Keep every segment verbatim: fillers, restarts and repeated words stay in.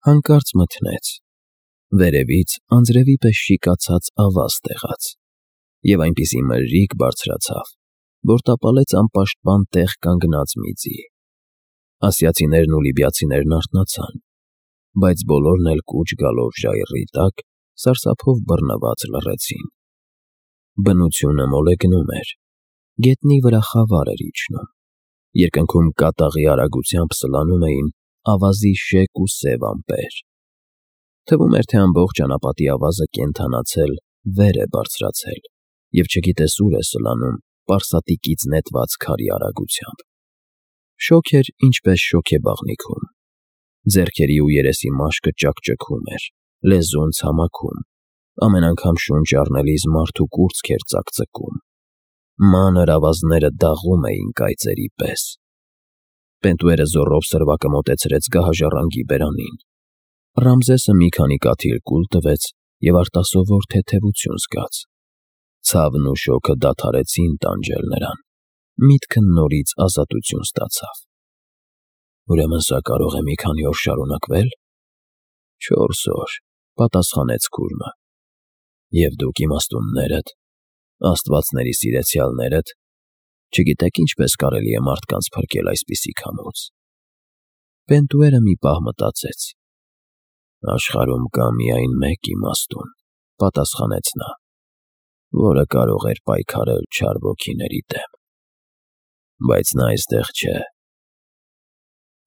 Հանկարծ մթնեց, վերևից անձրևի պես շիկացած ավազ տեղաց, և այնպիսի մրրիկ բարձրացավ, որ տապալեց անպաշտպան տեղ կանգնած մի ձի։ Ասիացիներն ու լիբիացիներն արթնացան, բայց բոլորն էլ կուչ գալով ժայռի տակ սարսափով բռնված լռեցին։ Բնությունը մոլեգնում էր, գետնի վրա խավար էր իջնում, երկնքում կատաղի արագությամբ սլանում էին ավազի շեկ ու սև ամպեր։ Թվում էր, թե ամբողջ անապատի ավազը կենդանացել վեր է բարձրացել և չգիտես ուր է սլանում պարսատիկից նետված քարի արագությամբ։ Շոգ էր, ինչպես շոգեբաղնիքում, ձեռքերի ու երեսի մաշկը ճաքճքում էր, լեզուն ցամաքում, ամեն անգամ շունչ առնելիս մարդու կուրծք էր ծակծկում, մանր ավազները դաղում էին կայծերի պես։ Պենտուերը զոռով սրվակը մոտեցրեց գահաժառանգի բերանին։ Ռամզեսը մի քանի կաթիլ կուլ տվեց և արտասովոր թեթևություն զգաց։ Ցավն ու շոգը դադարեցին տանջել նրան, միտքը նորից ազատություն ստացավ։ «Ուրեմն սա կարող է մի քանի օր շարունակվե՞լ»։ «Չորս օր», պատասխանեց քուրմը։ «Եվ դուք իմաստուններդ, աստվածների սիրեցյալներդ, չգիտեք ինչպես կարելի է մարդկանց փրկել այսպիսի քամուց»։ Պենտուերը մի պահ մտածեց։ «Աշխարհում կա միայն մեկ իմաստուն», պատասխանեց նա, որը կարող էր պայքարել չար ոգիների դեմ։ Բայց նա այստեղ չէ։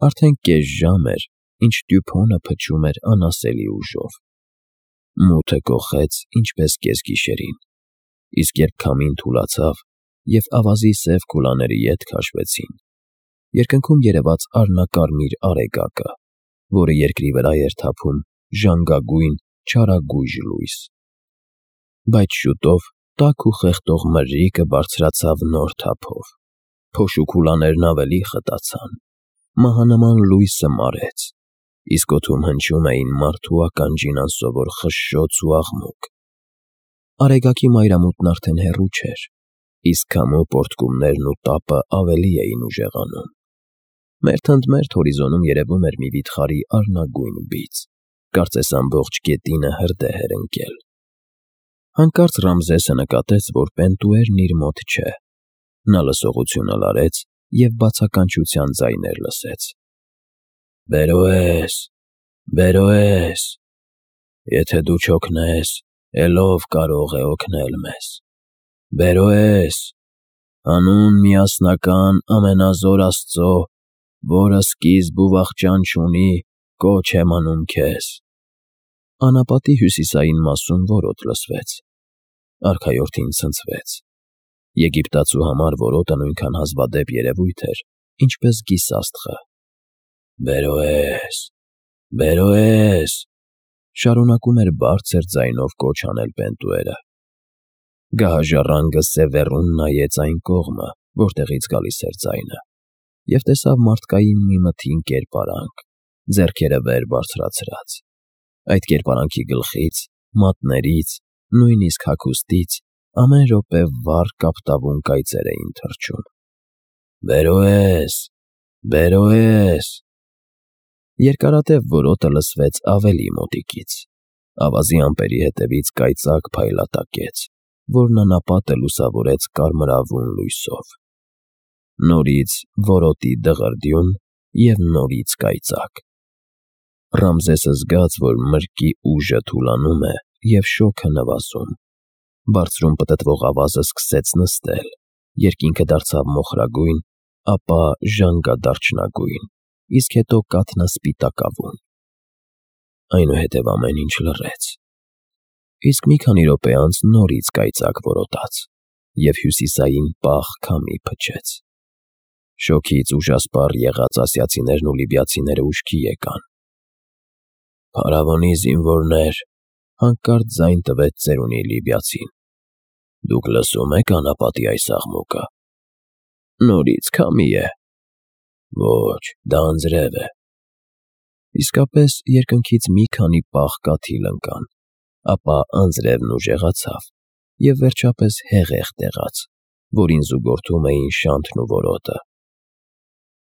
Արդեն կես ժամ էր, ինչ Տյուփոնը փչում էր անասելի ուժով։ Մութը կոխեց, ինչպես կեսգիշերին, իսկ երբ քամին թուլացավ և ավազի սև քուլաները ետ քաշվեցին, երկնքում երևաց առնակարմիր արեգակը, որը երկրի վրա էր թափում ժանգագույն չարագույժ լույս։ Բայց շուտով տաք ու խեղդող մրրիկը բարձրացավ նոր թափով, փոշու քուլաներն ավելի խտացան, մահանման լույսը մարեց, իսկ օդում հնչում էին մարդու ականջին անսովոր խշշոց ու աղմուկ։ Արեգակի մայրամուտն արդեն հեռու չէր, իսկ քամու պոռթկումներն ու տապը ավելի էին ուժեղանում։ Մերթընդմերթ հորիզոնում երևում էր մի վիթխարի առնագույն բիծ, կարծես ամբողջ գետինը հրդեհ էր ընկել։ Հանկարծ Ռամզեսը նկատեց, որ Պենտուերն իր մոտ չէ։ Նա լսողությունը լարեց և բացականչության ձայներ լսեց. «Բերո՛ես, Բերո՛ես, եթե դու չօգնես, էլ ո՞վ կարող է օգնել մեզ։ Բերո՛ես, հանուն միասնական ամենազոր Աստծո, որը սկիզբ ու վախճան չունի, կոչ եմ անում քեզ»։ Անապատի հյուսիսային մասում որոտ լսվեց։ Արքայորդին ցնցվեց։ Եգիպտացու համար որոտը նույնքան հազվադեպ երևույթ էր, ինչպես գիսաստղը։ «Բերո՛ես, Բերո՛ես», շարունակում էր բարձր ձայնով կոչ անել Պենտուերը։ Գահաժառանգը սևեռուն նայեց այն կողմը, որտեղից գալիս էր ձայնը, և տեսավ մարդկային մի մթին կերպարանք, ձեռքերը վեր բարձրացրած։ Այդ կերպարանքի գլխից, մատներից, նույնիսկ հագուստից ամեն րոպե վառ կապտավուն կայծեր էին թռչում։ «Բերո՛ես, Բերո՛ես»։ Երկարատև որոտը լսվեց ավելի մոտիկից։ Ավազի ամպերի հետևից կայծակ փայլատակեց, որն անապատը լուսավորեց կարմրավուն լույսով։ Նորից որոտի դղրդյուն և նորից կայծակ։ Ռամզեսը զգաց, որ մրրկի ուժը թուլանում է և շոգը նվազում։ Բարձրում պտտվող ավազը սկսեց նստել, երկինքը դարձավ մոխրագույն, ապա ժանգադարչնագույն, իսկ հետո կաթնասպիտակավուն։ Այնուհետև ամեն ինչ լռեց։ Իսկ մի քանի րոպե անց նորից կայծակ որոտաց, և հյուսիսային պաղ քամի փչեց։ Շոգից ուժասպառ եղած ասիացիներն ու լիբիացիները ուշքի եկան։ «Փարավոնի զինվորներ», հանկարծ ձայն տվեց ծերունի լիբիացին, «դուք լսո՞ւմ եք անապատի այս աղմուկը»։ «Նորից քամի է»։ «Ոչ, դա անձրև է»։ Իսկապես երկնքից մի քանի պաղ կաթիլ ընկան, ապա անձրևն ուժեղացավ և վերջապես հեղեղ տեղաց, որին զուգորդում էին շանթն ու որոտը։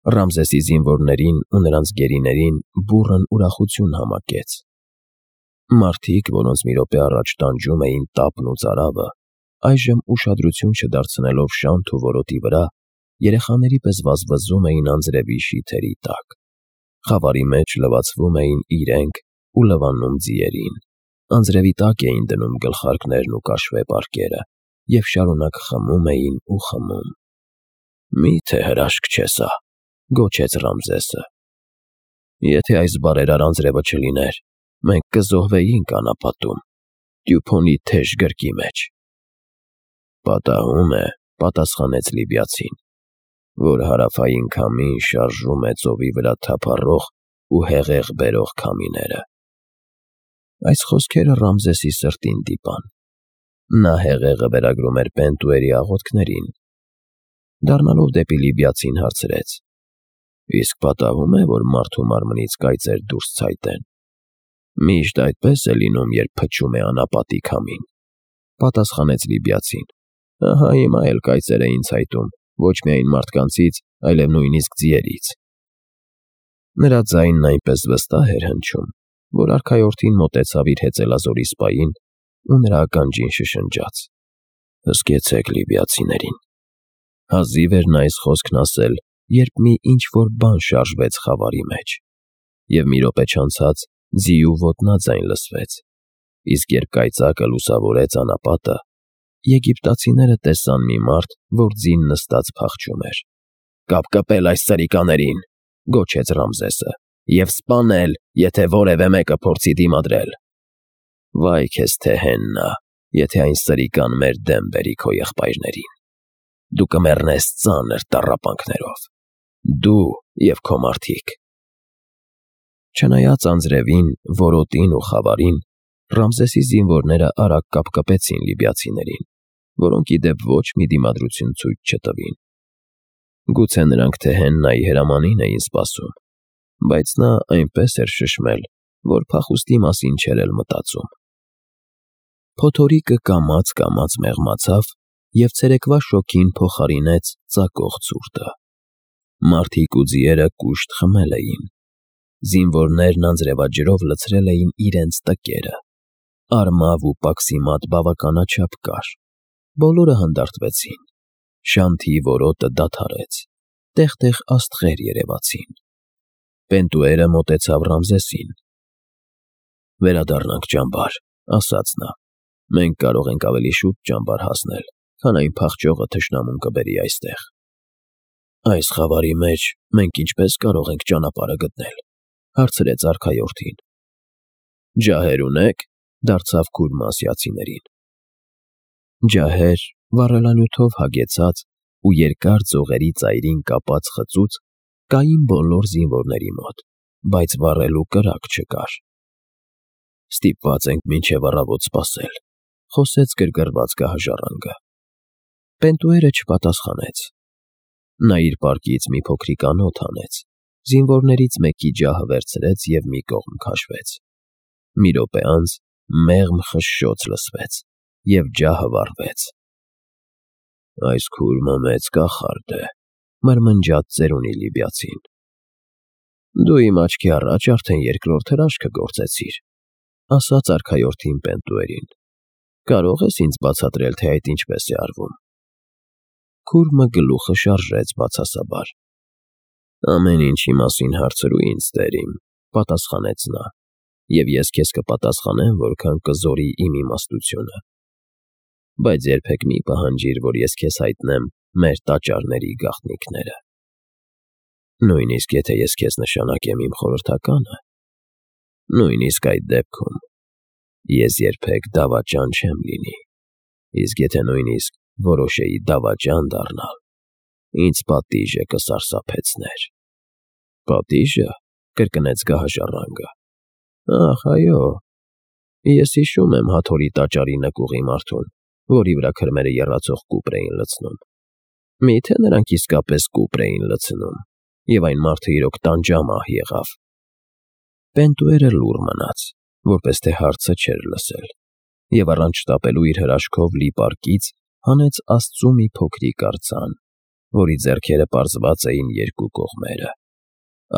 Ռամզեսի զինվորներին ու նրանց գերիներին բուռն ուրախություն համակեց։ Մարդիկ, որոնց մի րոպե առաջ տանջում էին տապն ու ծարավը, այժմ ուշադրություն չդարձնելով շանթ ու որոտի վրա, երեխաների պես վազվզում էին անձրևի շիթերի տակ։ Խավարի մեջ լվացվում էին իրենք ու լվանում ձիերին, անձրևի տակ էին դնում գլխարկներն ու կաշվե պարկերը և շարունակ խմում էին ու խմում։ «Մի՞թե հրաշք չէ սա», գոչեց Ռամզեսը։ «Եթե այս բարերար անձրևը չլիներ, մենք կզոհվեինք անապատում, Տյուփոնի թեժ գրկի մեջ»։ «Պատահում է», պատասխանեց լիբիացին, «որ հարավային քամին շարժում է ծովի վրա թափառող ու հեղեղ բերող քամիները»։ Այս խոսքերը Ռամզեսի սրտին դիպան։ Նա հեղեղը վերագրում էր Պենտուերի աղոթքներին։ Դառնալով դեպի լիբիացին հարցրեց. «Իսկ պատահում է, որ մարդու մարմնից կայծեր դուրս ցայտեն»։ «Միշտ այդպես է լինում, երբ փչում է անապատի քամին», պատասխանեց լիբիացին։ «Ահա հիմա էլ կայծեր էին ցայտում ոչ միայն մարդկանցից, այլև նույնիսկ ձիերից»։ Նրա ձայնն այնպես վստահ էր հնչում, որ արքայորդին մոտեցավ իր հեծելազորի սպային ու նրա ականջին շշնջաց. «Հսկեցեք լիբիացիներին»։ Հազիվ էր նա այս խոսքն ասել, երբ մի ինչ-որ բան շարժվեց խավարի մեջ, և մի րոպե չանցած ձիու ոտնաձայն լսվեց, իսկ երբ կայծակը լուսավորեց անապատը, եգիպտացիները տեսան մի մարդ, որ ձին նստած փախչում էր։ «Կապկպել այս սրիկաներին», գոչեց Ռամզեսը, «և սպանել, եթե որևէ մեկը փորձի դիմադրել»։ «Վայ քեզ Թեհեննա, եթե այն սրիկան մեր դեմ բերի քո եղբայրներին։ Դու կմեռնես ծանր տառապանքներով, դու և քո մարդիկ»։ Չնայած անձրևին, որոտին ու խավարին, Ռամզեսի զինվորները արագ կապկպեցին լիբիացիներին, որոնք ի դեպ ոչ մի դիմադրություն ցույց չտվին։ Գուցե նրանք Թեհեննայի հրամանին էին սպասում, բայց նա այնպես էր շշմել, որ փախուստի մասին չէր էլ մտածում։ Փոթորիկը կամաց-կամաց մեղմացավ և ցերեկվա շոգին փոխարինեց ծակող ցուրտը։ Մարդիկ ու ձիերը կուշտ խմել էին։ Զինվորներն անձրևաջրով լցրել էին իրենց տկերը։ Արմավ ու պաքսիմատ բավականաչափ կար։ Բոլորը հանդարտվեցին։ Շանթի որոտը դադարեց։ Տեղ-տեղ աստղեր երևացին։ Պենտուերը մոտեցավ Ռամզեսին։ «Վերադառնանք ճամբար», ասաց նա։ «Մենք կարող ենք ավելի շուտ ճամբար հասնել, քան այն փախչողը թշնամուն կբերի այստեղ»։ «Այս խավարի մեջ մենք ինչպե՞ս կարող ենք ճանապարհը գտնել», հարցրեց արքայորդին։ «Ջահեր ունե՞ք», դարձավ քուրմը ասիացիներին։ Ջահեր, վառելանյութով հագեցած ու երկար ձողերի ծայրին կապած խծուց կային բոլոր զինվորների մոտ, բայց վառելու կրակ չկար։ «Ստիպված ենք մինչև առավոտ սպասել», խոսեց գրգռված գահաժառանգը։ Պենտուերը չպատասխանեց։ Նա իր պարկից մի փոքրիկ անոթ հանեց, զինվորներից մեկի ջահը վերցրեց և մի կողմ քաշվեց։ Մի րոպե անց մեղմ խշշոց լսվեց, և ջահը վառվեց։ «Այս քուրմը մեծ կախարդ է», մրմնջաց ծերունի լիբիացին։ «Դու իմ աչքի առաջ արդեն երկրորդ հրաշքը գործեցիր», ասաց արքայորդին Պենտուերին։ «Կարո՞ղ ես ինձ բացատրել, թե այդ ինչպես է արվում»։ Քուրմը գլուխը շարժեց բացասաբար։ «Ամեն ինչի մասին հարցրու ինձ, տեր իմ», պատասխանեց նա, «և ես քեզ կպատասխանեմ, որքան կզորի իմ իմաստությունը։ Բայց երբեք մի պահանջիր, որ ես քեզ հայտնեմ մեր տաճարների գաղտնիքները։ Նույնիսկ եթե ես քեզ նշանակեմ իմ խորհրդականը, նույնիսկ այդ դեպքում ես երբեք դավաճան չեմ լինի, իսկ եթե նույնիսկ որոշեի դավաճան դառնալ, ինձ պատիժը կսարսափեցներ»։ «Պատիժը», կրկնեց գահաժառանգը։ «Ախ, այո, ես հիշում եմ Հաթորի տաճարի նկուղի մարդուն, որի վրա քրմերը եռացող կուպր էին լցնում։ Մի՞թե նրանք իսկապես կուպր էին լցնում, և այն մարդը իրոք տանջամահ եղավ»։ Պենտուերը լուռ մնաց, որպես թե հարցը չէր լսել, և առանց շտապելու իր հրաշքով լի պարկից հանեց Աստծու մի փոքրիկ արձան, որի ձեռքերը պարզված էին երկու կողմերը։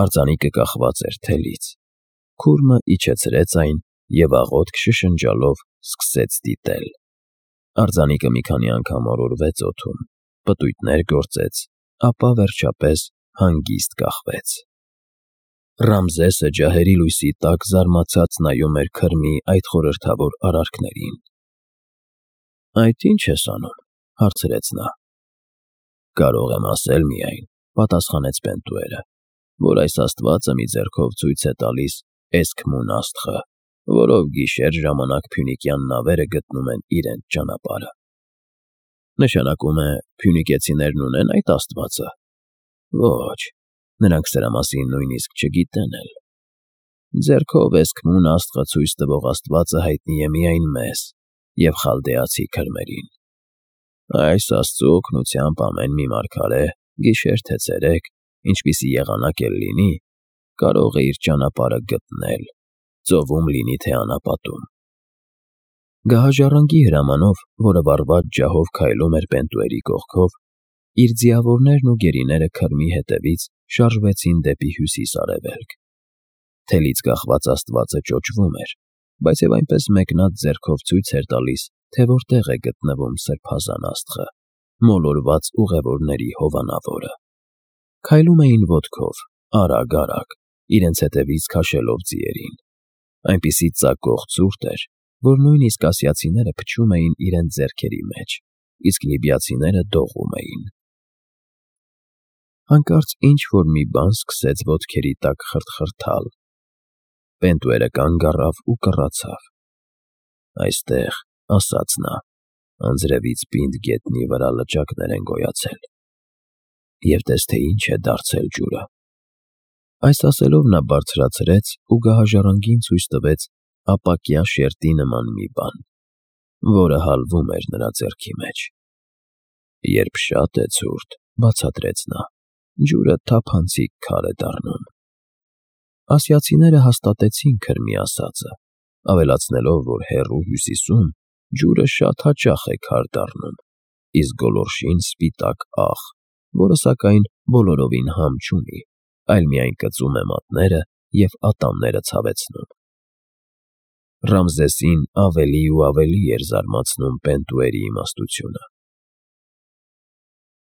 Արձանիկը կախված էր թելից։ Քուրմը իջեցրեց այն և աղոթք շշնջալով սկսեց դիտել։ Արձանիկը մի քանի անգամ օրորվեց օդում, պտույտներ գործեց, ապա վերջապես հանգիստ կախվեց։ Ռամզեսը ջահերի լույսի տակ զարմացած նայում էր քրմի այդ խորհրդավոր արարքներին։ «Այդ ի՞նչ ես անում», հարցրեց նա։ «Կարող եմ ասել միայն», պատասխանեց Պենտուերը, «որ այս աստվածը մի ձեռքով ցույց է տալիս Էսքմուն աստղը, որով գիշեր ժամանակ փյունիկյան նավերը գտնում են իրենց ճանապարհը»։ «Նշանակում է, փյունիկեցիներն ունեն այդ աստվածը»։ «Ոչ, նրանք սրա մասին նույնիսկ չգիտեն էլ։ Ձեռքով Էսքմուն աստղը ցույց տվող աստվածը հայտնի է միայն մեզ և խալդեացի քրմերին։ Այս աստծու օգնությամբ ամեն մի մարգարե, գիշեր թե ցերեկ, ինչպիսի եղանակ էլ լինի, կարող է իր ճանապարհը գտնել, ծովում լինի թե անապատում»։ Գահաժառանգի հրամանով, որը վառված ջահով քայլում էր Պենտուերի կողքով, իր ձիավորներն ու գերիները քրմի հետևից շարժվեցին դեպի հյուսիս֊արևելք։ Թելից կախված աստվածը ճոճվում էր, բայց և այնպես մեկնած ձեռքով ցույց էր տալիս, թե որտեղ է գտնվում սրբազան աստղը, մոլորված ուղևորների հովանավորը։ Քայլում էին ոտքով, արագ-արագ, իրենց հետևից քաշելով ձիերին։ Այնպիսի ծակող ցուրտ էր, որ նույնիսկ ասիացիները փչում էին իրենց ձեռքերի մեջ, իսկ լիբիացիները դողում էին։ Հանկարծ ինչ-որ մի բան սկսեց ոտքերի տակ խրթխրթալ։ Պենտուերը կանգ առավ ու կռացավ։ «Այստեղ», ասաց նա, «անձրևից պինդ գետնի վրա լճակներ են գոյացել։ Եվ տես, թե ինչ է դարձել ջուրը»։ Այս ասելով նա բարձրացրեց ու գահաժառանգին ցույց տվեց ապակյա շերտի նման մի բան, որը հալվում էր նրա ձեռքի մեջ։ «Երբ շատ է ցուրտ», բացատրեց նա, «ջուրը թափանցիկ քար է դառնում»։ Ասիացիները հաստատեցին քրմի ասածը, ավելացնելով, որ հեռու հյուսիսում ջուրը շատ հաճախ է քար դառնում, իսկ գոլորշին սպիտակ աղ, որը սակայն բոլորովին համ չունի, այլ միայն կծում է մատները և ատամները ցավեցնում։ Ռամզեսին ավելի ու ավելի էր զարմացնում Պենտուերի իմաստությունը։